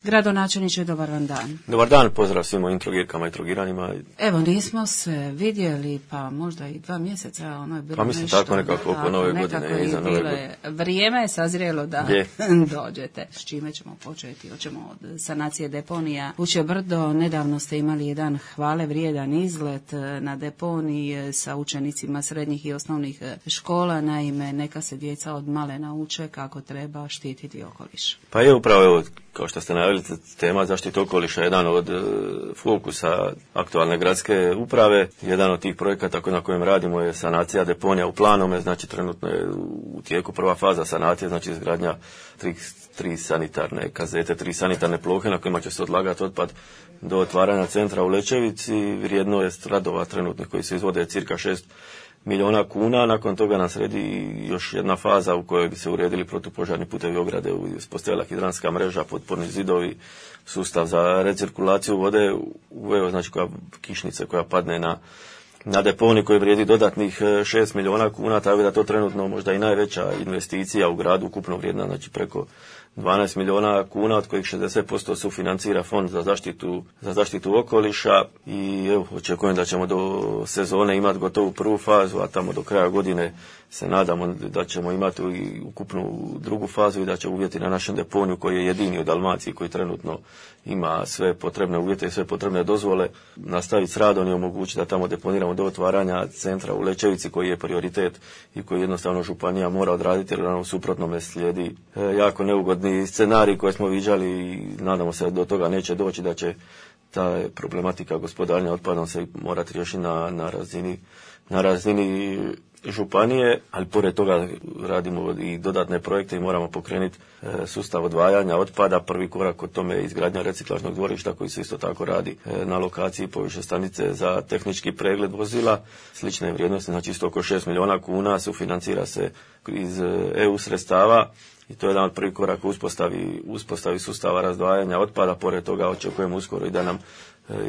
Gradonačelniče, dobar vam dan. Dobar dan, pozdrav svim mojim trogirkama i trogiranima. Evo, nismo se vidjeli, pa možda i 2 mjeseca, ono je bilo pa mislim nešto. Tako nekako oko nove godine. Iza nove godine. Vrijeme je sazrijelo da dođete. S čime ćemo početi? Hoćemo od sanacije deponija. Uće Brdo, nedavno ste imali jedan hvale vrijedan izlet na deponiji sa učenicima srednjih i osnovnih škola. Naime, neka se djeca od male nauče kako treba štititi okoliš. Pa je upravo, evo, kao što ste najavili, tema zaštite okoliša je jedan od fokusa aktualne gradske uprave. Jedan od tih projekata na kojem radimo je sanacija deponija u Planome, znači trenutno je u tijeku prva faza sanacije, znači izgradnja tri sanitarne kazete, 3 sanitarne plohe na kojima će se odlagati otpad do otvaranja centra u Lećevici. Vrijedno je radova trenutnih koji se izvode cirka 6 milijuna kuna. Nakon toga nam slijedi još jedna faza u kojoj bi se uredili protupožarni putevi ograde, uspostavila hidranska mreža, potporni zidovi, sustav za recirkulaciju vode, znači kišnice koja padne na deponij koji vrijedi dodatnih 6 milijuna kuna, tako da to trenutno možda i najveća investicija u gradu, ukupno vrijedna, znači preko 12 milijuna kuna, od kojih 60% sufinancira Fond za zaštitu okoliša i evo, očekujem da ćemo do sezone imati gotovu prvu fazu, a tamo do kraja godine se nadamo da ćemo imati i ukupnu drugu fazu i da će uvjeti na našem deponiju, koji je jedini u Dalmaciji koji trenutno ima sve potrebne uvjete i sve potrebne dozvole, nastaviti s radom i omogućiti da tamo deponiramo do otvaranja centra u Lećevici, koji je prioritet i koji jednostavno županija mora odraditi, jer nam u suprotnome slijedi jako neugodni scenarij koje smo viđali i nadamo se da do toga neće doći, da će ta problematika gospodarenja otpadom se morati riješiti na razini županije, ali pored toga radimo i dodatne projekte i moramo pokrenuti sustav odvajanja otpada. Prvi korak od tome je izgradnja reciklažnog dvorišta koji se isto tako radi na lokaciji poviše stanice za tehnički pregled vozila. Slične vrijednosti, znači isto oko 6 milijuna kuna, sufinancira se iz EU sredstava i to je jedan od prvih koraka uspostavi sustava razdvajanja otpada. Pored toga očekujemo uskoro i da nam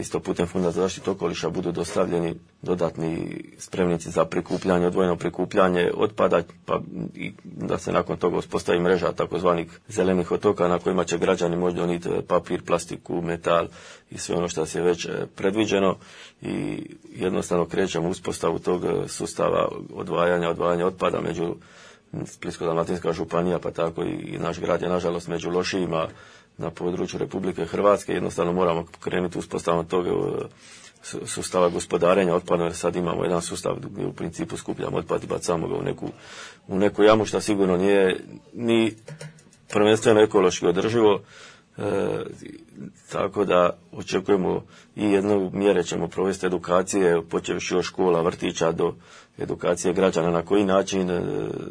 isto putem Fonda za zaštitu okoliša budu dostavljeni dodatni spremnici za prikupljanje, odvojeno prikupljanje otpada, pa i da se nakon toga uspostavi mreža takozvanih zelenih otoka na kojima će građani moći donijeti papir, plastiku, metal i sve ono što je već predviđeno i jednostavno krećemo uspostavu tog sustava odvajanja otpada među Splitsko-dalmatinska županija, pa tako i naš grad je nažalost među lošijima na području Republike Hrvatske. Jednostavno moramo krenuti uspostavom tog sustava gospodarenja otpadom, jer sad imamo jedan sustav gdje u principu skupljamo otpad i bacamo ga u neku jamu, što sigurno nije ni prvenstveno ekološki održivo. Tako da očekujemo i jednu mjere ćemo provesti edukacije, počevši od škola, vrtića do edukacije građana na koji način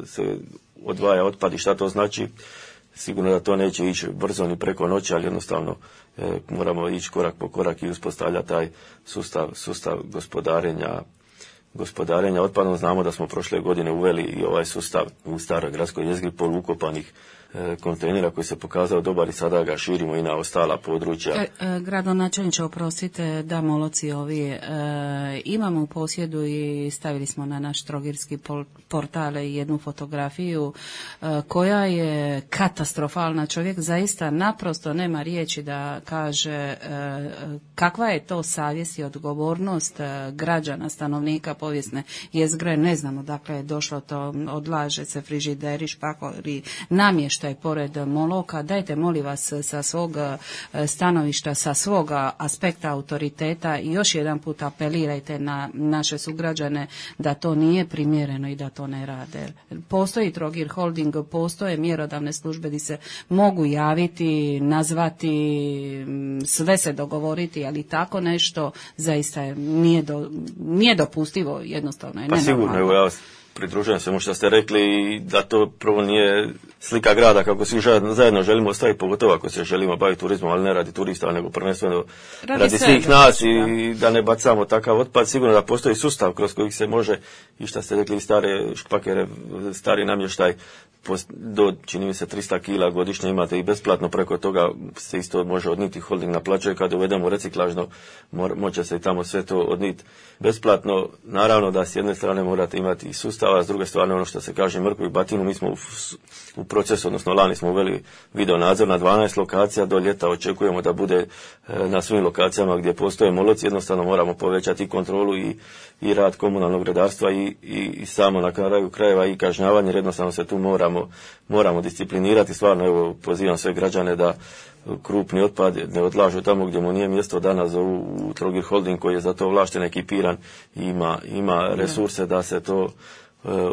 se odvaja otpad i šta to znači. Sigurno da to neće ići brzo ni preko noći, ali jednostavno moramo ići korak po korak i uspostavljati taj sustav gospodarenja otpadom. Znamo da smo prošle godine uveli i ovaj sustav u staroj gradskoj jezgri polukopanih kontejnera koji se pokazao dobar i sada ga širimo i na ostala područja. Gradonačelniče, oprostite da moloci ovi imamo u posjedu i stavili smo na naš trogirski portal jednu fotografiju koja je katastrofalna. Čovjek zaista naprosto nema riječi da kaže kakva je to savjest i odgovornost građana, stanovnika povijesne jezgre. Ne znamo dakle je došlo to, odlaže se frižideri, špakori, namještaj pored moloka. Dajte molim vas sa svog stanovišta, sa svog aspekta autoriteta i još jedan put apelirajte na naše sugrađane da to nije primjereno i da to ne rade. Postoji Trogir Holding, postoje mjerodavne službe gdje se mogu javiti, nazvati, sve se dogovoriti, ali tako nešto zaista nije dopustivo, jednostavno je nenormalno. Pa sigurno, evo ja pridružujem se mu što ste rekli i da to prvo nije slika grada kako svi zajedno želimo ostaviti, pogotovo ako se želimo baviti turizmom, ali ne radi turista, nego prvenstveno radi svih nas i da ne bacamo takav otpad. Sigurno da postoji sustav kroz kojih se može, i što ste rekli, stare špakere, stari namještaj, do, čini mi se, 300 kila godišnje imate i besplatno, preko toga se isto može odniti, holding naplaćuje, kada uvedemo reciklažno, moće se i tamo sve to odniti besplatno. Naravno da s jedne strane morate imati i sustav sustava, s druge strane ono što se kaže mrkvu i batinu, mi smo u procesu, odnosno lani smo uveli video nadzor na 12 lokacija, do ljeta očekujemo da bude na svim lokacijama gdje postoje moloci, jednostavno moramo povećati i kontrolu i rad komunalnog redarstva i samo na kraju krajeva i kažnjavanje, jer jednostavno se tu moramo disciplinirati. Stvarno, evo, pozivam sve građane da krupni otpad ne odlažu tamo gdje mu nije mjesto, danas zovu u Trogir Holding koji je za to ovlašten, ekipiran i ima resurse da se to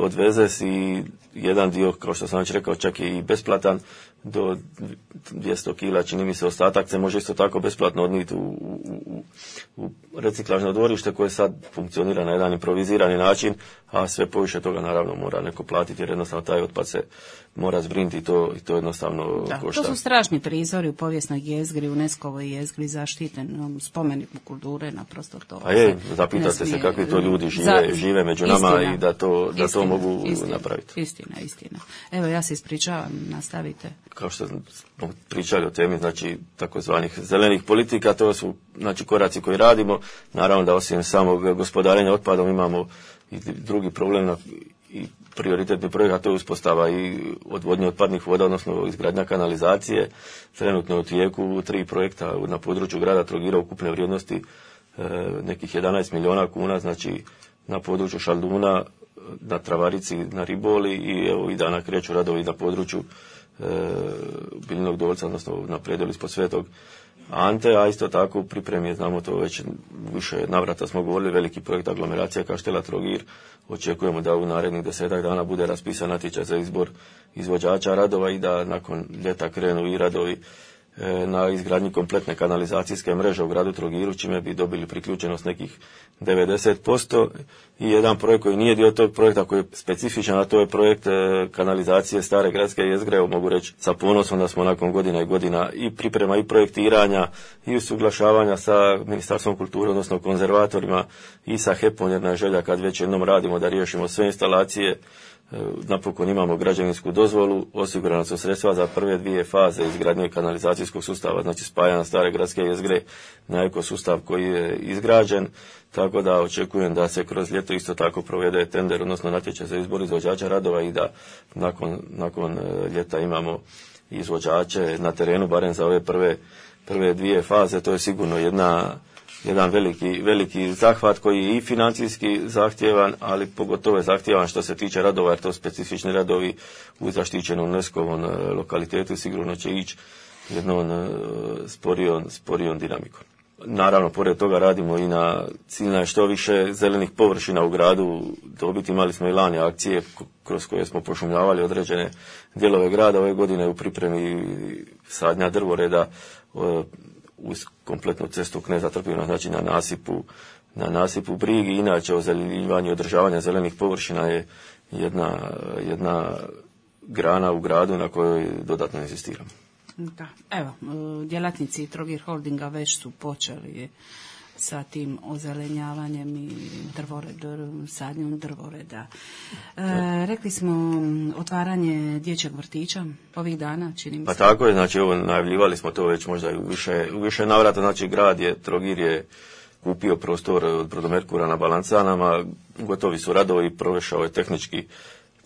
odveze i jedan dio, kao što sam već rekao, čak i besplatan, do 200 kila, čini mi se, ostatak se može isto tako besplatno odnijeti u reciklažno dvorište koje sad funkcionira na jedan improvizirani način, a sve poviše toga naravno mora neko platiti, jer jednostavno taj otpad se mora zbrinuti i to jednostavno košta. To su strašni prizori u povijesnoj jezgri, UNESCO-voj jezgri, zaštiten spomenik kulture, naprosto to. A zapitate se kakvi to ljudi žive među nama, istina, i da to mogu napraviti. Istina. Evo, ja se ispričavam, nastavite. Kao što smo pričali o temi, znači, takozvanih zelenih politika, to su, znači, koraci koji radimo. Naravno da osim samog gospodarenja otpadom imamo i drugi problem i prioritetni projekt, a to je uspostava i odvodnje otpadnih voda, odnosno izgradnja kanalizacije. Trenutno u tijeku 3 projekta na području grada Trogira ukupne vrijednosti nekih 11 milijuna kuna, znači na području Šalduna, na Travarici, na Riboli i evo i dana kreću radovi na području Biljnog Dolca, odnosno na predjelu ispod Svetog Ante, a isto tako u pripremi, znamo to već više navrata smo govorili, veliki projekt aglomeracija Kaštela Trogir. Očekujemo da u narednih 10 dana bude raspisan natječaj za izbor izvođača radova i da nakon ljeta krenu i radovi na izgradnji kompletne kanalizacijske mreže u gradu Trogiru, čime bi dobili priključenost nekih 90%. I jedan projekt koji nije dio tog projekta, koji je specifičan, a to je projekt kanalizacije stare gradske jezgre. Mogu reći sa ponosom da smo nakon godina i godina i priprema i projektiranja i usuglašavanja sa Ministarstvom kulture, odnosno konzervatorima i sa HEP-om, jer na želja kad već jednom radimo da riješimo sve instalacije. Napokon imamo građevinsku dozvolu, osigurana su sredstva za prve 2 faze izgradnje kanalizacijskog sustava, znači spajanja stare gradske jezgre na ekosustav koji je izgrađen, tako da očekujem da se kroz ljeto isto tako provede tender, odnosno natječaj za izbor izvođača radova i da nakon ljeta imamo izvođače na terenu, barem za ove prve 2 faze. To je sigurno jedan veliki zahvat koji je i financijski zahtjevan, ali pogotovo je zahtjevan što se tiče radova, jer to specifični radovi u zaštićenom UNESCO-vom lokalitetu sigurno će ići jednom sporijom dinamikom. Naravno, pored toga radimo i na cilj što više zelenih površina u gradu dobiti. Imali smo i lani akcije kroz koje smo pošumljavali određene dijelove grada. Ove godine u pripremi sadnja drvoreda uz kompletnu cestu Kneza Trpina, znači na nasipu Brigi. Inače, ozelenjivanje i održavanje zelenih površina je jedna grana u gradu na kojoj dodatno insistiramo. Da, evo, djelatnici Trogir Holdinga već su počeli sa tim ozelenjavanjem i sadnjom drvoreda. Rekli smo otvaranje dječjeg vrtića ovih dana, čini mi se. Pa tako je, znači ovo najavljivali smo to već možda u više navrata, znači Trogir je kupio prostor od Brodomerkura na Balancanama, gotovi su radovi, prošao je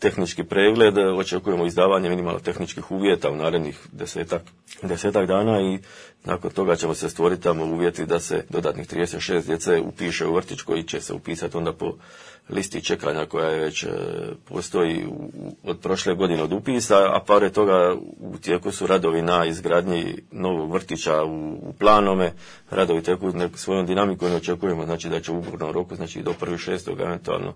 tehnički pregled, očekujemo izdavanje minimalno tehničkih uvjeta u narednih 10 dana i nakon toga ćemo se stvoriti tamo uvjeti da se dodatnih 36 djece upiše u vrtić koji će se upisati onda po listi čekanja koja je već postoji od prošle godine od upisa, a pored toga u tijeku su radovi na izgradnji novog vrtića u Planome. Radovi teku svojom dinamikom i očekujemo znači da će u ugovornom roku, znači do 1.6. eventualno,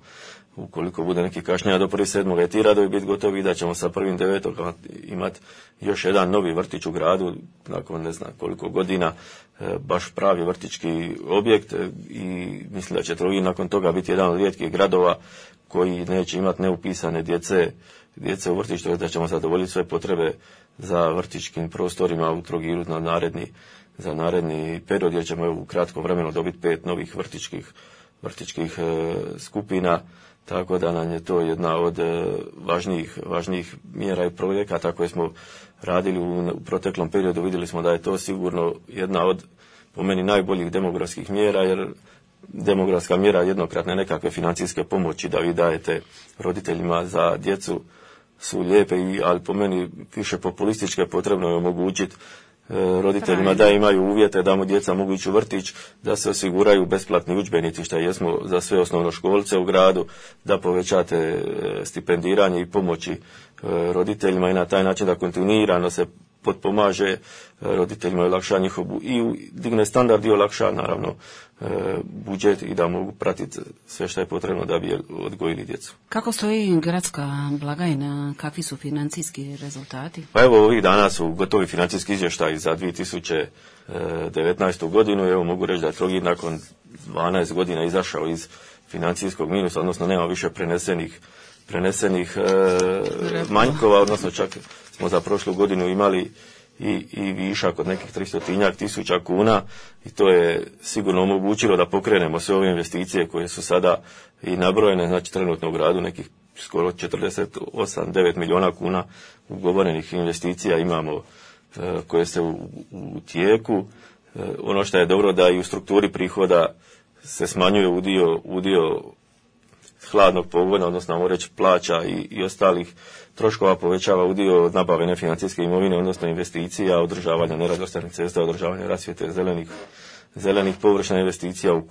ukoliko bude neki kašnjenja do 1.7. ti radovi biti gotovi i da ćemo sa 1.9. imati još jedan novi vrtić u gradu nakon ne znam koliko godina, baš pravi vrtićki objekt i mislim da će Trogir nakon toga biti jedan od rijetkih gradova koji neće imati neupisane djece u vrtiću, da ćemo zadovoljiti sve potrebe za vrtićkim prostorima u Trogiru za naredni period, jer ćemo u kratkom vremenu dobiti 5 novih vrtićkih skupina, tako da nam je to jedna od važnijih mjera i projekata koje smo radili u proteklom periodu. Vidjeli smo da je to sigurno jedna od, po meni, najboljih demografskih mjera, jer demografska mjera jednokratne nekakve financijske pomoći da vi dajete roditeljima za djecu su lijepe, ali po meni više populističke. Potrebno je omogućiti roditeljima da imaju uvjete da mu djeca mogu ići u vrtić, da se osiguraju besplatni udžbenici, što jesmo za sve osnovnoškolce u gradu, da povećate stipendiranje i pomoći roditeljima i na taj način da kontinuirano se potpomaže roditeljima i olakša njihovu i digne standard i olakša naravno budžet i da mogu pratiti sve što je potrebno da bi odgojili djecu. Kako stoji gradska blagajna, kakvi su financijski rezultati? Pa evo, ovih dana su gotovi financijski izvještaji za 2019. godinu. Evo, mogu reći da je Trogir nakon 12 godina izašao iz financijskog minusa, odnosno nema više prenesenih manjkova, odnosno čak smo za prošlu godinu imali i višak od nekih 300.000 kuna i to je sigurno omogućilo da pokrenemo sve ove investicije koje su sada i nabrojene, znači trenutno u gradu nekih skoro 48-9 milijuna kuna ugovorenih investicija imamo koje se u tijeku. Ono što je dobro da i u strukturi prihoda se smanjuje udio hladnog pogona, odnosno možemo reći plaća i ostalih troškova, povećava udio nabave nefinancijske imovine, odnosno investicija, održavanja nerazvrstanih cesta, održavanja rasvjete, zelenih površina, investicija u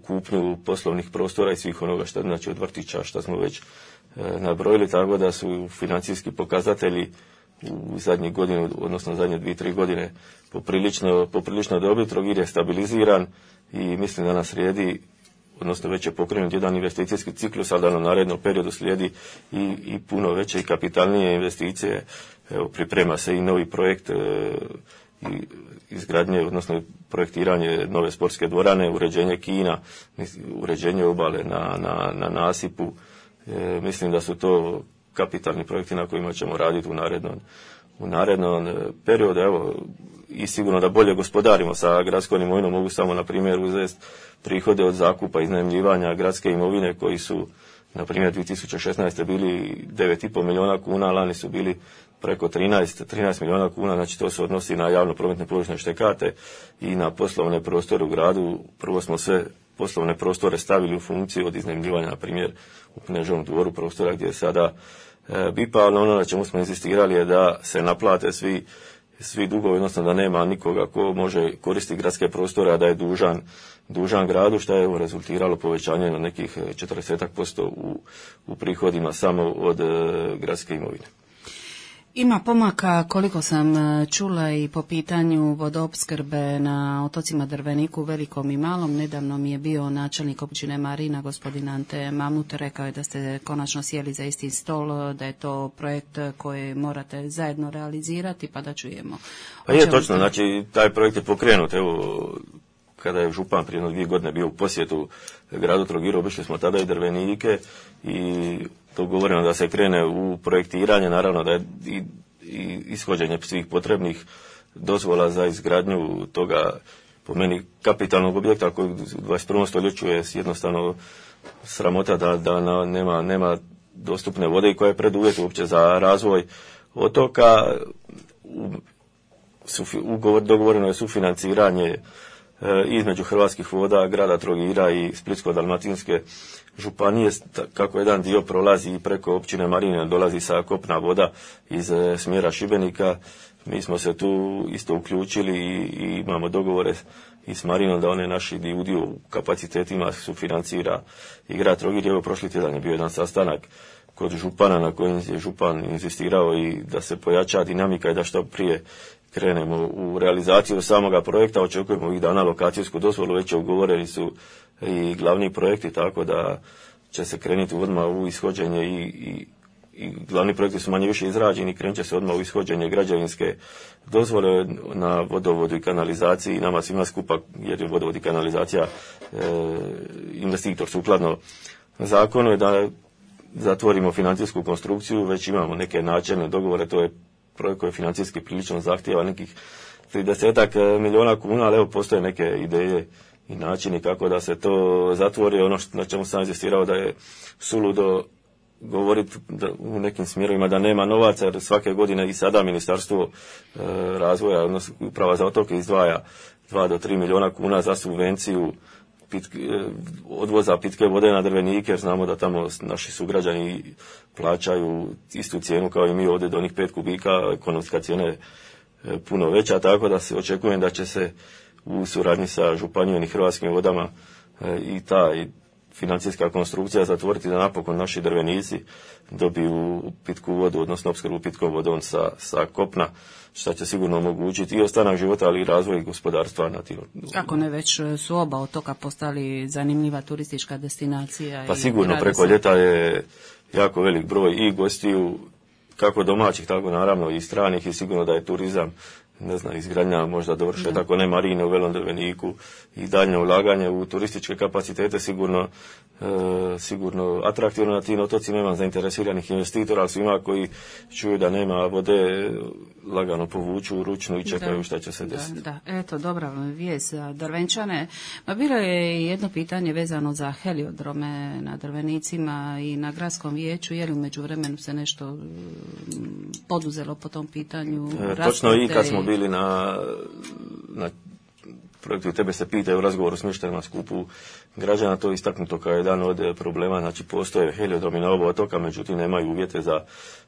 kupnju poslovnih prostora i svih onoga što znači od vrtića što smo već nabrojili, tako da su financijski pokazatelji u zadnjih godinu, odnosno zadnje 2-3 godine poprilično dobri. Trogir je stabiliziran i mislim da nas slijedi, odnosno već je pokrenut jedan investicijski ciklus, ali da nam narednom periodu slijedi i puno veće i kapitalnije investicije. Evo, priprema se i novi projekt i izgradnje, odnosno projektiranje nove sportske dvorane, uređenje kina, uređenje obale na nasipu. Mislim da su to kapitalni projekti na kojima ćemo raditi u narednom periodu. Evo, i sigurno da bolje gospodarimo sa gradskom imovinom. Mogu samo na primjer uzeti prihode od zakupa i iznajmljivanja gradske imovine koji su na primjer 2016. bili 9,5 milijuna kuna, lani su bili preko 13 milijuna kuna, znači to se odnosi na javno prometne površine štekate i na poslovne prostore u gradu. Prvo smo sve poslovne prostore stavili u funkciju od iznajmljivanja, na primjer u Kneževom dvoru prostora gdje je sada BIPA, ali ono na čemu smo insistirali je da se naplate svi dugovi, odnosno da nema nikoga ko može koristiti gradske prostore, a da je dužan gradu, što je rezultiralo povećanje na nekih 40% u prihodima samo od gradske imovine. Ima pomaka, koliko sam čula, i po pitanju vodoopskrbe na otocima Drveniku, Velikom i Malom. Nedavno mi je bio načelnik općine Marina, gospodin Ante Mamut, rekao je da ste konačno sjeli za isti stol, da je to projekt koji morate zajedno realizirati, pa da čujemo. Pa je točno, znači taj projekt je pokrenut. Evo, kada je župan prije 2 godine bio u posjetu gradu Trogiru, obišli smo tada i Drvenike i dogovoreno da se krene u projektiranje, naravno da je i ishođenje svih potrebnih dozvola za izgradnju toga, po meni, kapitalnog objekta koji u 21. stoljeću je jednostavno sramota da nema dostupne vode i koja je preduvjet uopće za razvoj otoka. Dogovoreno je sufinanciranje između Hrvatskih voda, grada Trogira i Splitsko-dalmatinske županije, kako jedan dio prolazi preko općine Marine, dolazi sa kopna voda iz smjera Šibenika. Mi smo se tu isto uključili i imamo dogovore i s Marinom da one naši udio u kapacitetima sufinancira i grad Trogir. Evo, prošli tjedan je bio jedan sastanak kod župana na kojem je župan insistirao i da se pojača dinamika i da što prije krenemo u realizaciju samoga projekta. Očekujemo ovih dana lokacijsku dozvolu, već ugovoreni su i glavni projekti, tako da će se krenuti odmah u ishođenje i glavni projekti su manje više izrađeni, krenut će se odmah u ishođenje građevinske dozvole na vodovodu i kanalizaciji, nama svima skupa, jer je vodovod i kanalizacija investitor sukladno zakonu, je da zatvorimo financijsku konstrukciju. Već imamo neke načelne dogovore, to je projekt koji je financijski prilično zahtjeva nekih 30 milijuna kuna, ali evo, postoje neke ideje i načini kako da se to zatvori. Ono na čemu sam inzistirao da je suludo govoriti u nekim smjerovima da nema novaca, jer svake godine i sada Ministarstvo razvoja, odnosno Uprava za otoke izdvaja 2 do 3 milijuna kuna za subvenciju odvoza pitke vode na Drvenike, jer znamo da tamo naši sugrađani plaćaju istu cijenu kao i mi ovdje do onih 5 kubika, ekonomska cijena je puno veća, tako da se očekujem da će se u suradnji sa županijom i Hrvatskim vodama i ta financijska konstrukcija zatvoriti da napokon naši Drvenici dobiju pitku vodu, odnosno opskrbu pitkom vodom sa kopna, što će sigurno omogućiti i ostanak života, ali i razvoj gospodarstva na tim. Kako ne, već su oba otoka postali zanimljiva turistička destinacija. Pa sigurno preko ljeta je jako velik broj i gostiju, kako domaćih, tako naravno i stranih, i sigurno da je turizam, ne znam, izgradnja možda dovrše, tako ne marine u Velom Drveniku i daljnje ulaganje u turističke kapacitete sigurno atraktivno na tim otocima. Imam zainteresiranih investitora, ali svima koji čuju da nema vode lagano povuču ručnu i čekaju šta će se desiti. Da, eto, dobra vijest za Drvenčane. Ma bilo je jedno pitanje vezano za heliodrome na Drvenicima i na gradskom vijeću, je li u međuvremenu se nešto poduzelo po tom pitanju? Točno, i kad smo bili na projektu Tebe se pitaju u razgovoru s mještanima skupu građana, to je istaknuto kao jedan od problema. Znači, postoje heliodromi na oba otoka, međutim nemaju uvjete za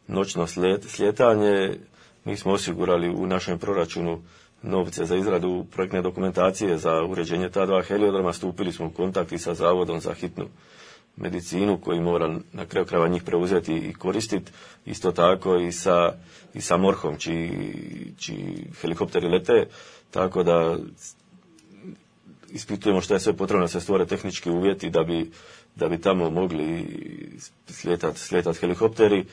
noćno slijetanje. Mi smo osigurali u našem proračunu novce za izradu projektne dokumentacije za uređenje ta 2 heliodroma. Stupili smo u kontakt i sa Zavodom za hitnu medicinu koji mora na kraju krajeva njih preuzeti i koristiti. Isto tako i sa MORH-om čiji helikopteri lete, tako da ispitujemo što je sve potrebno da se stvore tehnički uvjeti da bi tamo mogli slijetati helikopteri.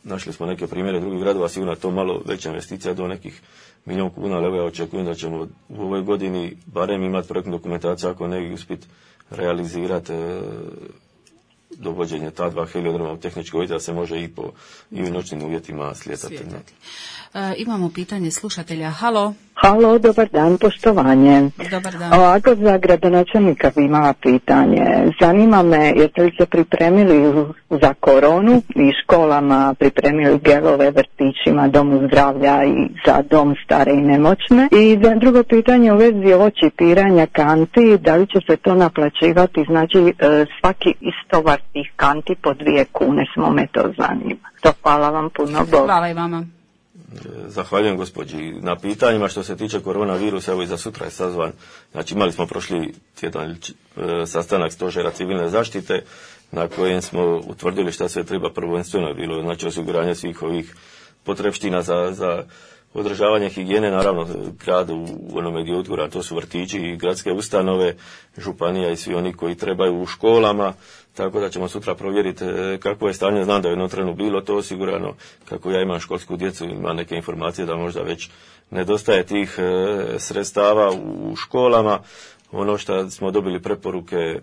Našli smo neke primjere drugih gradova, sigurno to malo veća investicija do nekih milijun kuna, ali ja očekujem da ćemo u ovoj godini barem imati projektnu dokumentaciju, ako ne i uspjeti realizirati dovođenje ta 2 heliodroma u tehnički uvjeti da se može i u noćnim uvjetima slijetati. Imamo pitanje slušatelja. Halo. Halo, dobar dan, poštovanje. Dobar dan. Ovako, za gradonačelnika bi imala pitanje. Zanima me, jeste li se pripremili za koronu i školama pripremili gelove, vrtićima, domu zdravlja i za dom stare i nemoćne? I za drugo pitanje u vezi ovo čipiranja kanti, da li će se to naplaćivati, znači svaki istovar tih kanti po 2 kune, smo me to zanima. To hvala vam puno. Hvala i vama. Zahvaljujem gospođi na pitanjima. Što se tiče koronavirusa, evo i za sutra je sazvan. Znači, imali smo prošli tjedan sastanak stožera civilne zaštite na kojem smo utvrdili šta sve treba. Prvenstveno je bilo, znači, osiguranje svih ovih potrepština za održavanje higijene, naravno grad u onome gdje odgora, to su vrtići i gradske ustanove, županija i svi oni koji trebaju u školama, tako da ćemo sutra provjeriti kako je stanje. Znam da je jednom trenu bilo to osigurano, kako ja imam školsku djecu, imam neke informacije da možda već nedostaje tih sredstava u školama. Ono što smo dobili preporuke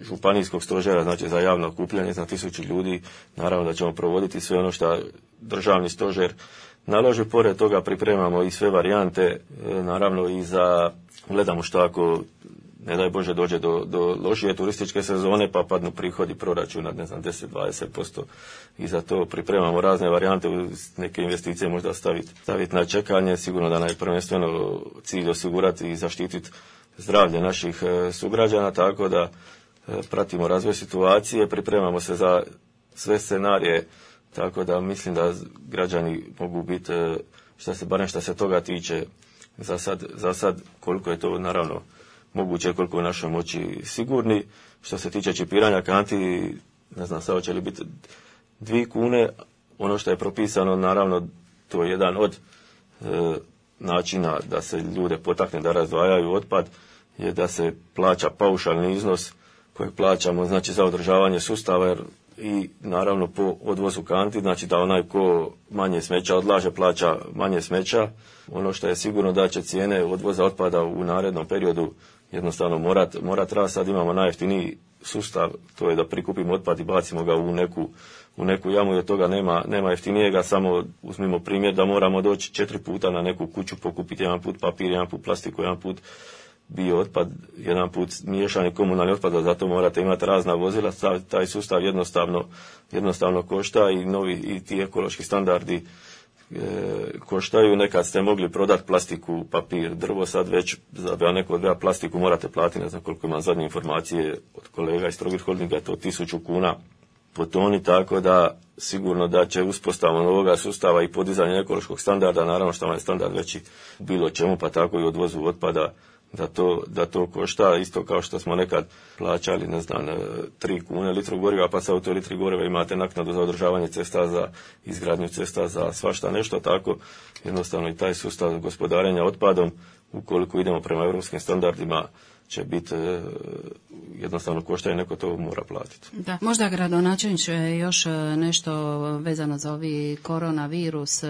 županijskog stožera, znači za javno okupljanje za 1000 ljudi, naravno da ćemo provoditi sve ono što državni stožer naloži. Pored toga pripremamo i sve varijante, naravno i gledamo što ako, ne daj Bože, dođe do lošije turističke sezone pa padnu prihodi proračuna, ne znam, 10-20%. I za to pripremamo razne varijante, neke investicije možda staviti na čekanje. Sigurno da nam je prvenstveno cilj osigurati i zaštititi zdravlje naših sugrađana, tako da pratimo razvoj situacije, pripremamo se za sve scenarije, tako da mislim da građani mogu biti, barem što se toga tiče, za sad koliko je to naravno moguće, koliko je u našoj moći sigurni. Što se tiče čipiranja kanti, ne znam sad hoće li biti 2 kune, ono što je propisano, naravno to je jedan od načina da se ljude potakne da razdvajaju otpad, je da se plaća paušalni iznos kojeg plaćamo, znači za održavanje sustava, jer i naravno po odvozu kanti, znači da onaj ko manje smeća odlaže plaća manje smeća. Ono što je sigurno da će cijene odvoza otpada u narednom periodu jednostavno morat rast. Sad imamo najjeftiniji sustav, to je da prikupimo otpad i bacimo ga u neku jamu, jer toga nema jeftinijega. Samo uzmimo primjer da moramo doći 4 puta na neku kuću, pokupiti 1 put papir, 1 put plastiku, 1 put bio otpad, jedan put miješani komunalni otpad, a zato morate imati razna vozila, taj sustav jednostavno košta i novi i ti ekološki standardi koštaju. Nekad ste mogli prodati plastiku, papir, drvo, sad već za neko odbija plastiku morate platiti, ne znam koliko imam zadnje informacije od kolega iz Trogir Holdinga, je to 1000 kuna po toni, tako da sigurno da će uspostavom ovoga sustava i podizanje ekološkog standarda, naravno što vam je standard veći bilo čemu, pa tako i odvozu otpada, da to košta, isto kao što smo nekad plaćali, 3 kune litru goriva, pa sad u toj litri goriva imate naknadu za održavanje cesta, za izgradnju cesta, za svašta nešto, tako jednostavno i taj sustav gospodarenja otpadom, ukoliko idemo prema europskim standardima, će biti jednostavno košta i neko to mora platiti. Da, možda gradonačelniče još nešto vezano za ovi koronavirus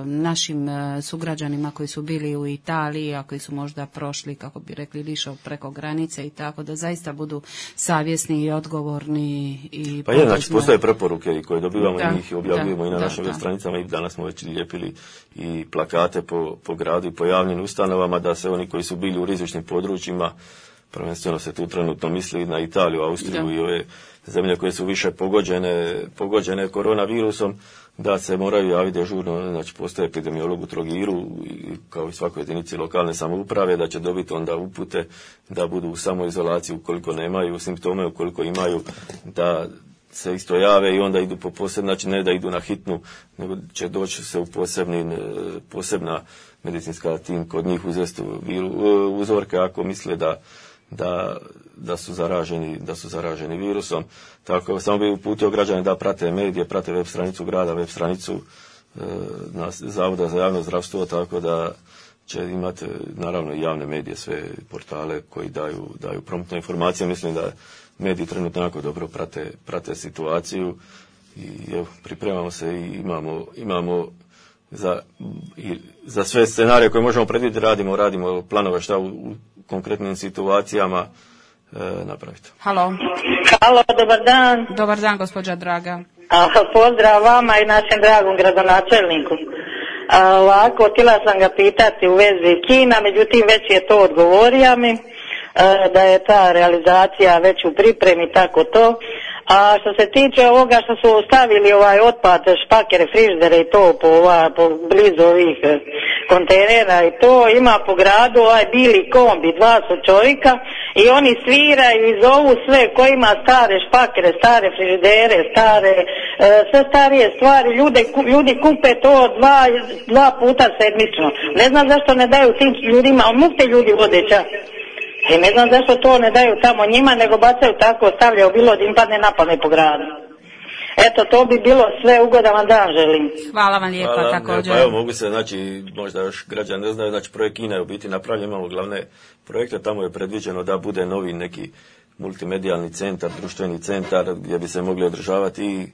našim sugrađanima koji su bili u Italiji, a koji su možda prošli, kako bi rekli, lišo preko granice i tako, da zaista budu savjesni i odgovorni i pa znači postoje preporuke i koje dobivamo i njih objavljujemo i na našim web stranicama i danas smo već lijepili i plakate po gradu i po javnim ustanovama da se oni koji su bili u rizičnim područjima, prvenstveno se tu trenutno misli na Italiju, Austriju i ove zemlje koje su više pogođene koronavirusom, da se moraju javiti dežurno, znači postoje epidemiolog u Trogiru, kao i svakoj jedinici lokalne samouprave, da će dobiti onda upute da budu u samoizolaciji ukoliko nemaju simptome, ukoliko imaju, da se isto jave i onda idu po posebno, znači ne da idu na hitnu, nego će doći se u posebna medicinska tim kod njih uzeti uzorke ako misle da su zaraženi virusom. Tako samo bi uputio građane da prate medije, prate web stranicu grada, web stranicu Zavoda za javno zdravstvo, tako da će imati naravno i javne medije, sve portale koji daju promptne informacije. Mislim da mediji trenutno jako dobro prate situaciju i evo, pripremamo se i imamo za sve scenarije koje možemo predvidjeti, radimo planove šta u konkretnim situacijama napraviti. Halo, dobar dan. Dobar dan, gospođa Draga. Pozdrav vama i našem dragom gradonačelniku. Ovako, htjela sam ga pitati u vezi kina, međutim već je to odgovorio mi, da je ta realizacija već u pripremi, tako to. A što se tiče ovoga što su stavili otpad, špakere, frižidere i to po blizu ovih kontejnera i to, ima po gradu bili kombi, 2 su čovjeka i oni sviraju i zovu sve ko ima stare špakere, stare frižidere, sve starije stvari, ljudi kupe to dva puta sedmično. Ne znam zašto ne daju tim ljudima, mukte ljudi vode čas. I ne znam zašto to ne daju tamo njima, nego bacaju tako, stavljaju bilo da im padne napadne po gradu. Eto, to bi bilo sve, ugodan vam dan želim. Hvala vam lijepa također. Pa evo, mogu se, znači, možda još građani ne znaju, znači projekt Kina je u biti napravljen, imamo glavne projekte, tamo je predviđeno da bude novi neki multimedijalni centar, društveni centar gdje bi se mogli održavati i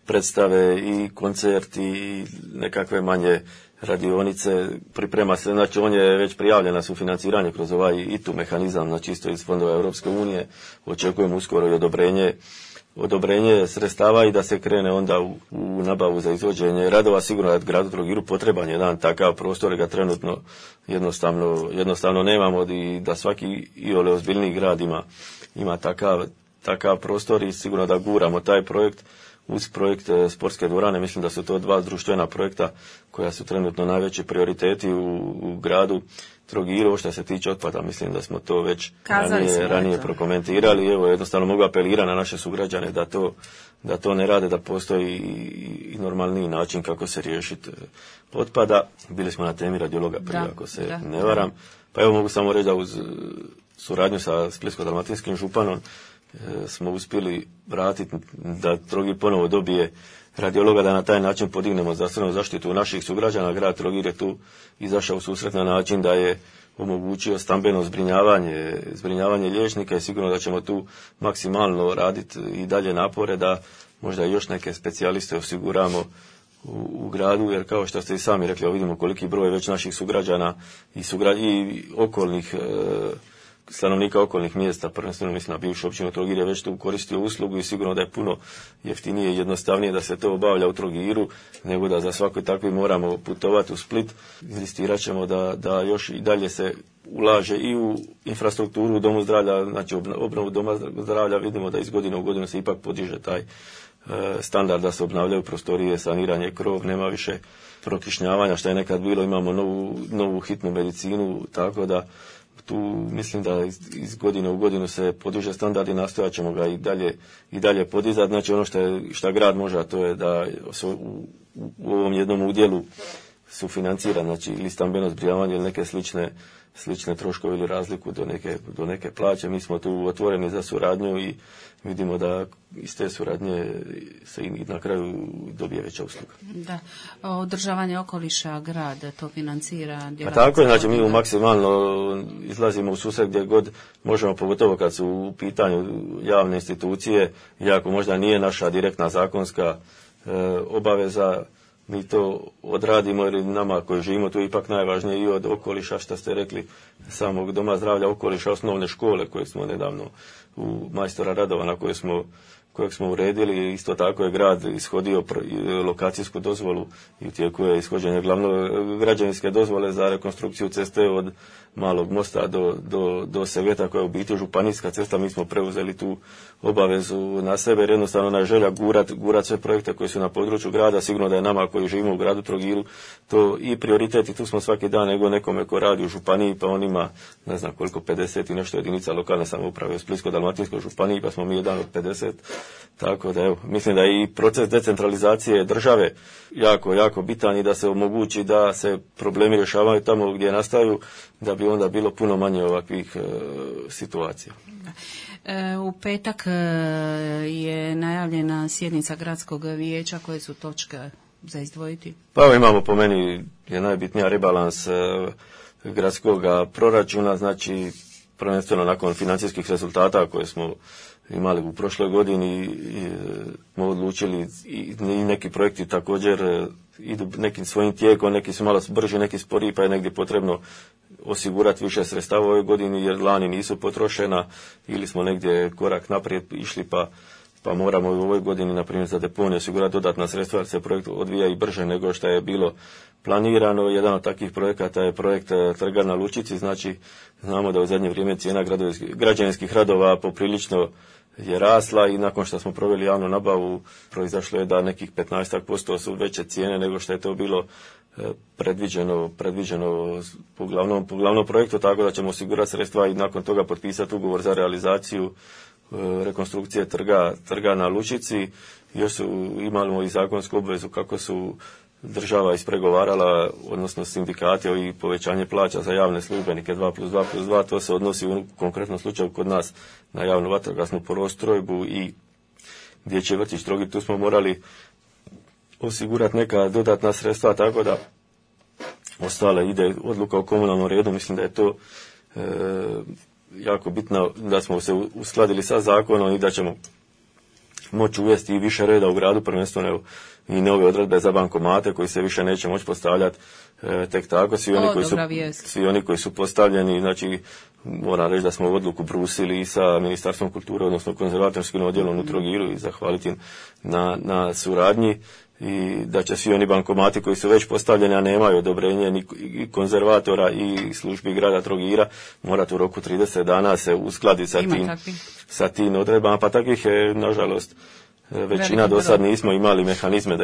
predstave i koncerti i nekakve manje radionice, priprema se, znači on je već prijavljen na sufinanciranje kroz ovaj ITU mehanizam, znači isto iz fondova Europske unije, očekujemo uskoro i odobrenje sredstava i da se krene onda u nabavu za izvođenje radova. Sigurno da gradu Trogiru potreban jedan takav prostor, ga trenutno jednostavno nemamo i da svaki iole ozbiljniji grad ima takav prostor i sigurno da guramo taj projekt. Uz projekt sportske dvorane, mislim da su to 2 društvena projekta koja su trenutno najveći prioriteti u gradu Trogiru. Što se tiče otpada, mislim da smo to već ranije prokomentirali. Evo, jednostavno mogu apelirati na naše sugrađane da to ne rade, da postoji i normalniji način kako se riješiti otpada. Bili smo na temi radiologa prije, ako se ne varam. Pa evo, mogu samo reći da uz suradnju sa Splitsko-dalmatinskim županom smo uspjeli vratiti da Trogir ponovo dobije radiologa, da na taj način podignemo zdravstvenu zaštitu naših sugrađana. Grad Trogir je tu izašao u susret na način da je omogućio stambeno zbrinjavanje liječnika i sigurno da ćemo tu maksimalno raditi i dalje napore da možda još neke specijaliste osiguramo u gradu, jer kao što ste i sami rekli, vidimo koliki broj već naših sugrađana i okolnih stanovnika okolnih mjesta, prvenstveno mislim na bivšu općinu Trogir, je već tu koristio uslugu i sigurno da je puno jeftinije i jednostavnije da se to obavlja u Trogiru, nego da za svaki takvi moramo putovati u Split. Inzistirat ćemo da još i dalje se ulaže i u infrastrukturu u domu zdravlja, znači obnovu doma zdravlja. Vidimo da iz godine u godinu se ipak podiže taj standard, da se obnavljaju prostorije, saniranje, krov, nema više prokišnjavanja što je nekad bilo, imamo novu hitnu medicinu, tako da tu mislim da iz godine u godinu se podiže standard i nastojat ćemo ga i dalje podizati. Znači ono što grad može, a to je da u ovom jednom udjelu sufinancira, znači ili stambeno zbrinjavanje ili neke slične troškove ili razliku do neke plaće. Mi smo tu otvoreni za suradnju i vidimo da iz te suradnje se i na kraju dobije veća usluga. Da, održavanje okoliša grad to financira. Pa tako je, znači mi maksimalno izlazimo u susret gdje god možemo, pogotovo kad su u pitanju javne institucije, iako možda nije naša direktna zakonska obaveza, mi to odradimo jer nama koji živimo tu ipak najvažnije i od okoliša, što ste rekli, samog doma zdravlja, okoliša, osnovne škole koje smo nedavno u majstora radova na kojeg smo uredili. Isto tako je grad ishodio lokacijsku dozvolu i u tijeku je ishođenje građevinske dozvole za rekonstrukciju ceste od Malog mosta do Seveta, koja je u biti županijska cesta. Mi smo preuzeli tu obavezu na sebe jer jednostavno na želja gurat sve projekte koji su na području grada. Sigurno da je nama koji živimo u gradu Trogiru to i prioritet i tu smo svaki dan, nego nekome ko radi u županiji, pa on ima ne znam koliko, 50 i nešto jedinica lokalne samouprave u Splitsko-dalmatinskoj županiji, pa smo mi jedan od 50. Tako da evo, mislim da je i proces decentralizacije države jako bitan i da se omogući da se problemi rješavaju tamo gdje nastaju, da bi onda bilo puno manje ovakvih situacija. U petak je najavljena sjednica gradskog vijeća. Koje su točke za izdvojiti? Pa evo imamo, po meni je najbitnija rebalans gradskog proračuna, znači prvenstveno nakon financijskih rezultata koje smo imali u prošloj godini smo odlučili i neki projekti također idu nekim svojim tijekom, neki su malo brži, neki sporiji, pa je negdje potrebno osigurati više sredstava u ovoj godini jer lani nisu potrošena ili smo negdje korak naprijed išli pa moramo u ovoj godini, na primjer za deponiju, osigurati dodatna sredstva jer se projekt odvija i brže nego što je bilo planirano. Jedan od takvih projekata je projekt Trga na Lučici, znači znamo da u zadnje vrijeme cijena građevinskih radova poprilično je rasla i nakon što smo proveli javnu nabavu proizašlo je da nekih 15% su veće cijene nego što je to bilo predviđeno po glavnom projektu, tako da ćemo osigurati sredstva i nakon toga potpisati ugovor za realizaciju rekonstrukcije trga na Lučici. Još imamo i zakonsku obvezu kako su država ispregovarala, odnosno sindikati, i povećanje plaća za javne službenike 2+2+2, to se odnosi u konkretnom slučaju kod nas na javnu vatrogasnu postrojbu i dječji vrtić Trogir. Tu smo morali osigurati neka dodatna sredstva, tako da ostale ide odluka o komunalnom redu. Mislim da je to jako bitno da smo se uskladili sa zakonom i da ćemo moći uvesti i više reda u gradu, prvenstveno i nove odredbe za bankomate koji se više neće moći postavljati tek tako. Svi oni koji su postavljeni, znači moram reći da smo odluku brusili i sa Ministarstvom kulture, odnosno konzervatorskim odjelom u Trogiru i zahvaliti na suradnji i da će svi oni bankomati koji su već postavljeni, a nemaju odobrenje ni konzervatora i službi grada Trogira, morati u roku 30 dana se uskladiti sa tim odredbama, pa takvih je nažalost većina do sad nismo imali mehanizme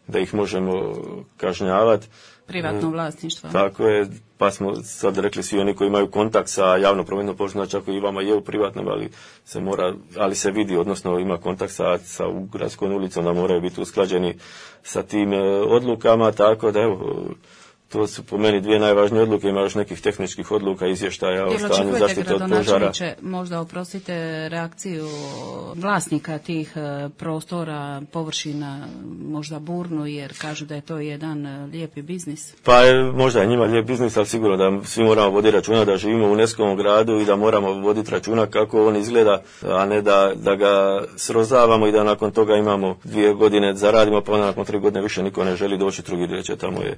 da ih možemo kažnjavati. Privatno vlasništvo. Tako je, pa smo sad rekli svi oni koji imaju kontakt sa javno prometnom površinom, znači ako i vama je u privatnom, ali se vidi, odnosno ima kontakt sa gradskom ulicom, da moraju biti usklađeni sa tim odlukama, tako da evo, to su po meni dvije najvažnije odluke, ima još nekih tehničkih odluka, izvještaja o stanju zaštite od požara. Možda oprostite reakciju vlasnika tih prostora, površina, možda burnu, jer kažu da je to jedan lijepi biznis. Pa možda je njima lijep biznis, ali sigurno da svi moramo voditi računa da živimo u UNESCO gradu i da moramo voditi računa kako on izgleda, a ne da ga srozavamo i da nakon toga imamo 2 godine zaradimo, pa onda nakon 3 godine više niko ne želi doći drugi reći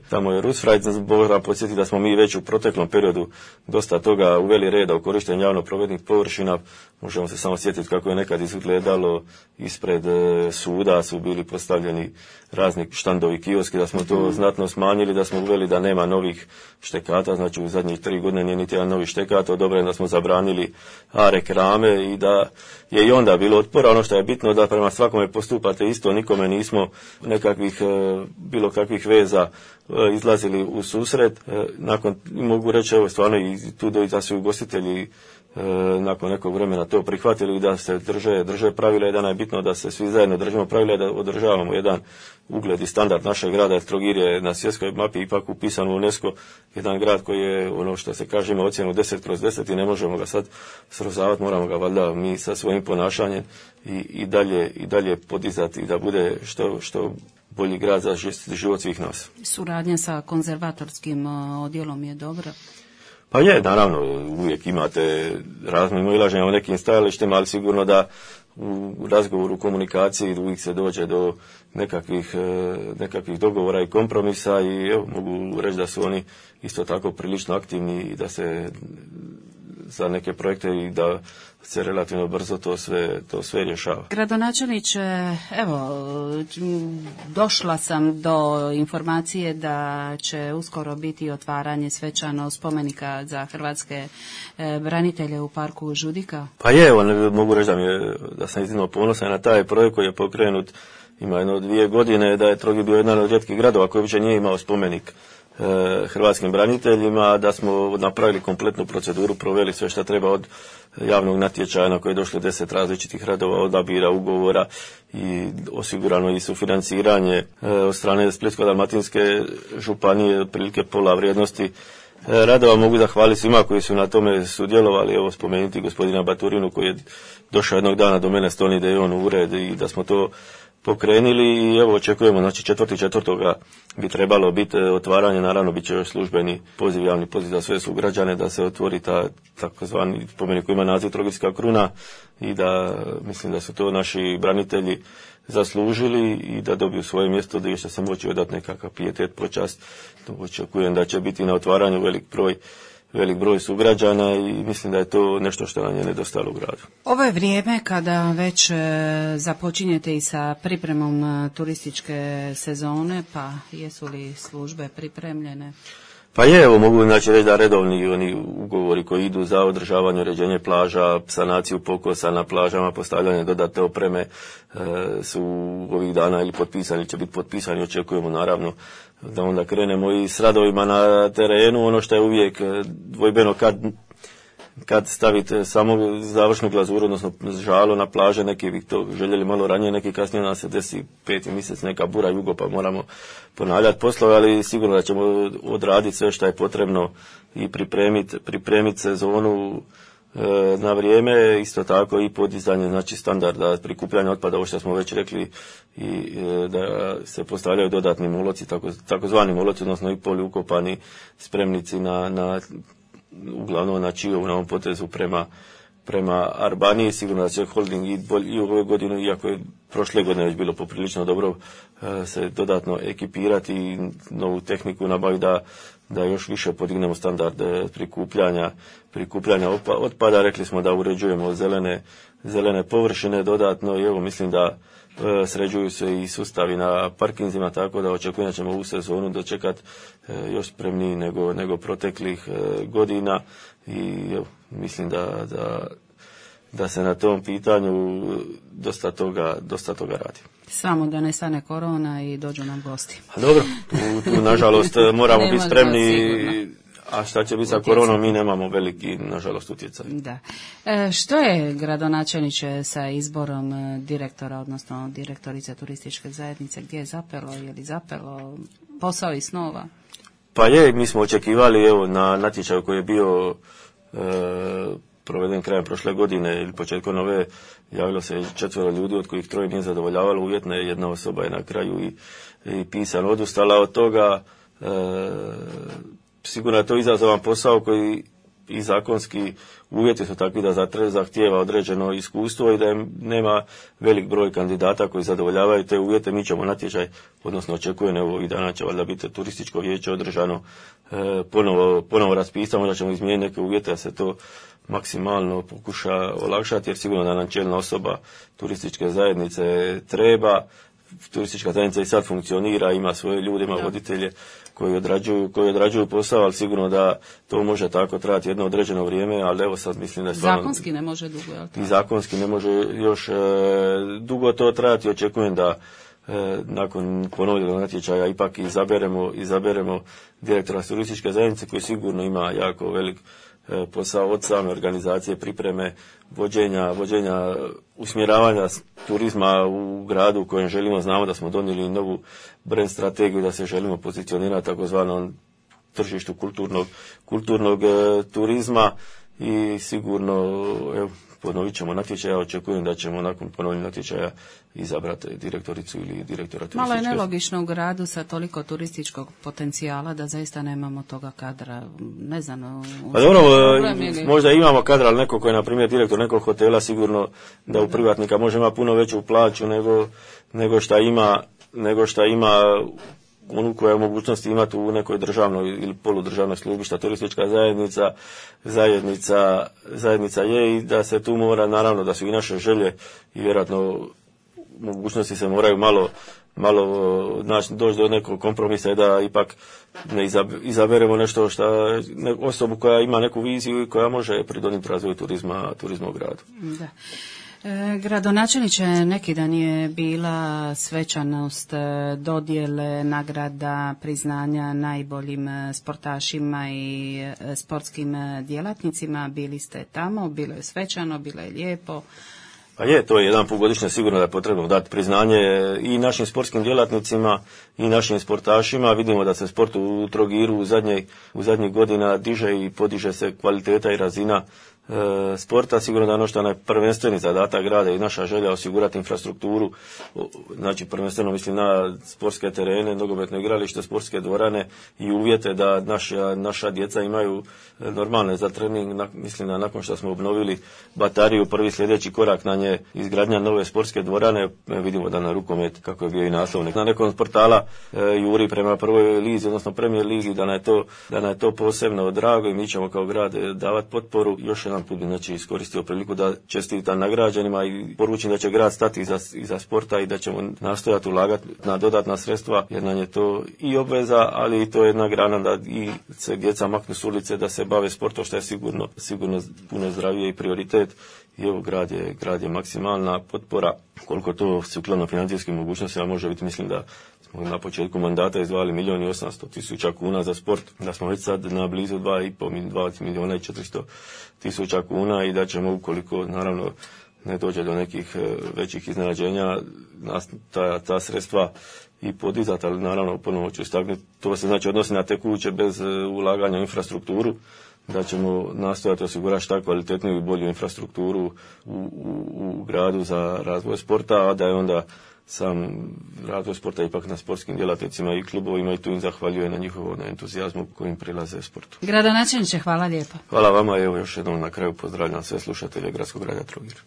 tamo je Rusfraj. opet moram podsjetiti da smo mi već u proteklom periodu dosta toga uveli reda u korištenju javno-prometnih površina. Možemo se samo sjetiti kako je nekad izgledalo ispred suda, su bili postavljeni razni štandovi, kioski, da smo to znatno smanjili, da smo uveli da nema novih štekata, znači u zadnjih 3 godine nije niti jedan novi štekat odobren, da smo zabranili reklame i da je i onda bilo otpora. Ono što je bitno da prema svakome postupate isto, nikome nismo nekakvih bilo kakvih veza izlazili u susret. Nakon, mogu reći, evo stvarno i tu da su ugostitelji nakon nekog vremena to prihvatili i da se drže pravila i da je bitno da se svi zajedno držimo pravila i da održavamo jedan ugled i standard našeg grada, jer Trogir je na svjetskoj mapi ipak upisan u UNESCO, jedan grad koji je, ono što se kaže, ima ocjenu 10/10 i ne možemo ga sad srozavati, moramo ga valjda mi sa svojim ponašanjem i dalje podizati i da bude što bolji grad za život svih nas. Suradnja sa konzervatorskim odjelom je dobra? Pa je, naravno, uvijek imate razne ilaženja o nekim stajalištima, ali sigurno da u razgovoru, u komunikaciji uvijek se dođe do nekakvih dogovora i kompromisa i evo, mogu reći da su oni isto tako prilično aktivni i da se za neke projekte i da se relativno brzo to sve rješava. Gradonačelniče, evo, došla sam do informacije da će uskoro biti otvaranje svečano spomenika za hrvatske branitelje u parku Žudika. Pa je, evo, mogu reći da sam iznimno ponosan na taj projekt koji je pokrenut, ima 2 godine, da je Trogir bio jedan od rijetkih gradova koji uopće nije imao spomenik hrvatskim braniteljima, da smo napravili kompletnu proceduru, proveli sve što treba od javnog natječaja na koje je došlo 10 različitih radova, odabira, ugovora i osigurano i sufinanciranje od strane Splitsko-dalmatinske županije, otprilike pola vrijednosti radova. Mogu zahvaliti svima koji su na tome sudjelovali, evo spomenuti gospodina Baturinu koji je došao jednog dana do mene s tom idejom u ured i da smo to pokrenuli i evo očekujemo, znači 4.4. bi trebalo biti otvaranje, naravno bit će još službeni poziv, javni poziv za sve sugrađane da se otvori ta takozvani spomenik koji ima naziv Trogirska kruna i da mislim da su to naši branitelji zaslužili i da dobiju svoje mjesto gdje će se moći odati nekakav pijetet, počast. Očekujem da će biti na otvaranju velik broj sugrađana i mislim da je to nešto što nam je nedostajalo u gradu. Ovo je vrijeme kada već započinjete i sa pripremom turističke sezone, pa jesu li službe pripremljene? Pa je, evo mogu znači reći da redovni oni ugovori koji idu za održavanje, uređenje plaža, sanaciju pokosa na plažama, postavljanje dodatne opreme su ovih dana ili potpisani, će biti potpisani, očekujemo naravno da onda krenemo i s radovima na terenu. Ono što je uvijek dvojbeno kad stavite samo završnu glazuru, odnosno žalo na plaže, neki bi to željeli malo ranije, neki kasnije nam se desi 5. mjesec neka bura, jugo, pa moramo ponavljati poslove, ali sigurno da ćemo odraditi sve što je potrebno i pripremiti sezonu na vrijeme, isto tako i podizanje znači standarda prikupljanja otpada, ovo što smo već rekli, i da se postavljaju dodatni moloci, takozvani moloci, odnosno i poliukopani spremnici na uglavnom na Čiovu, na ovom potezu prema Arbaniji. Sigurno da će holding i u ove godine, iako je prošle godine već bilo poprilično dobro, se dodatno ekipirati i novu tehniku nabaviti da još više podignemo standard prikupljanja otpada. Rekli smo da uređujemo zelene površine dodatno i evo mislim da sređuju se i sustavi na parkinzima, tako da očekujem da ćemo ovu sezonu dočekati još spremniji nego proteklih godina i evo, mislim da se na tom pitanju dosta toga radi. Samo da ne stane korona i dođu nam gosti. A dobro, tu nažalost moramo biti spremni, a šta će biti sa koronom, mi nemamo veliki, nažalost, utjecaj. Da. Što je, gradonačelniče, sa izborom direktora, odnosno direktorice turističke zajednice, gdje je zapelo, je li zapelo posao iz snova? Pa je, mi smo očekivali, evo, na natječaju koji je bio proveden krajem prošle godine ili početkom nove, javilo se 4 ljudi, od kojih 3 nije zadovoljavalo uvjetne, jedna osoba je na kraju i pisano odustala od toga. Sigurno je to izazovan posao koji i zakonski uvjeti su takvi da zahtijeva određeno iskustvo i da nema velik broj kandidata koji zadovoljavaju te uvjete. Mi ćemo natječaj, odnosno očekujem ovih dana će valjda biti turističko vijeće održano, ponovo raspisamo, da ćemo izmijeniti neke uvjete da se to maksimalno pokuša olakšati, jer sigurno da nam čelna osoba turističke zajednice treba. Turistička zajednica i sad funkcionira, ima svoje ljude, ima voditelje koji odrađuju posao, ali sigurno da to može tako trajati jedno određeno vrijeme, ali evo sad mislim da je stvarno... Zakonski ne može dugo, jel' to? I zakonski ne može još dugo to trajati. Očekujem da nakon ponovljenog natječaja ipak izaberemo direktora turističke zajednice koji sigurno ima jako velik posao od same organizacije, pripreme, vođenja, usmjeravanja turizma u gradu u kojem želimo. Znamo da smo donijeli novu brand strategiju, da se želimo pozicionirati takozvanom tržištu kulturnog turizma i sigurno ponovit ćemo natječaja. Očekujem da ćemo nakon ponovljenog natječaja izabrati direktoricu ili direktora turističke. Malo je nelogično u gradu sa toliko turističkog potencijala da zaista nemamo toga kadra. Ne znam. Pa dobro, možda imamo kadra, ali neko koji je na primjer direktor nekog hotela, sigurno da u privatnika može imati puno veću plaću nego šta ima onu koja je mogućnosti imati u nekoj državnoj ili poludržavnoj službi, šta turistička zajednica je, i da se tu mora, naravno da su i naše želje i vjerojatno mogućnosti se moraju malo doći do nekog kompromisa i da ipak ne izaberemo nešto osobu koja ima neku viziju i koja može pridonijeti razvoju turizma u gradu. Da. Gradonačelniče, neki dan je bila svečanost dodjele nagrada, priznanja najboljim sportašima i sportskim djelatnicima. Bili ste tamo, bilo je svečano, bilo je lijepo. Pa je, to je jedan put godišnje sigurno da je potrebno dati priznanje i našim sportskim djelatnicima i našim sportašima. Vidimo da se sport u Trogiru u zadnjih godina diže i podiže se kvaliteta i razina sporta. Sigurno da ono što je prvenstveni zadatak grada i naša želja osigurati infrastrukturu, znači prvenstveno mislim na sportske terene, nogometno igralište, sportske dvorane i uvjete da naša djeca imaju normalne za trening. Mislim da nakon što smo obnovili batariju, prvi sljedeći korak na nje izgradnja nove sportske dvorane. Vidimo da na rukomet, kako je bio i naslovnik na nekom portala, juri prema prvoj lizi, odnosno Premier ligi, da nam je to posebno drago i mi ćemo kao grad davati potporu. Još jedan put znači iskoristio priliku da čestitam nagrađenima i poručim da će grad stati iza sporta i da ćemo nastojati ulagati na dodatna sredstva, jer nam je to i obveza, ali i to je jedna grana da i se djeca maknu s ulice, da se bave sportom, što je sigurno puno zdravije i prioritet. I evo, grad je maksimalna potpora, koliko to sukladno financijskim mogućnostima može biti. Mislim da smo na početku mandata izdvajali 1.800.000 kuna za sport, da smo već sad na blizu 2.400.000 kuna i da ćemo, ukoliko naravno ne dođe do nekih većih iznenađenja, ta sredstva i podizati, ali naravno ponovo ću istaknuti, to se znači odnosi na tekuće bez ulaganja u infrastrukturu, da ćemo nastojati osigurati šta kvalitetniju i bolju infrastrukturu u gradu za razvoj sporta, a da je onda sam razvoj sporta ipak na sportskim djelatnicima i klubovima, i tu im zahvaljujem na njihovom entuzijazmu kojim prilaze sportu. Gradonačelniče, hvala lijepa. Hvala vama, evo još jednom na kraju pozdravljam sve slušatelje Gradskog grada Trogir.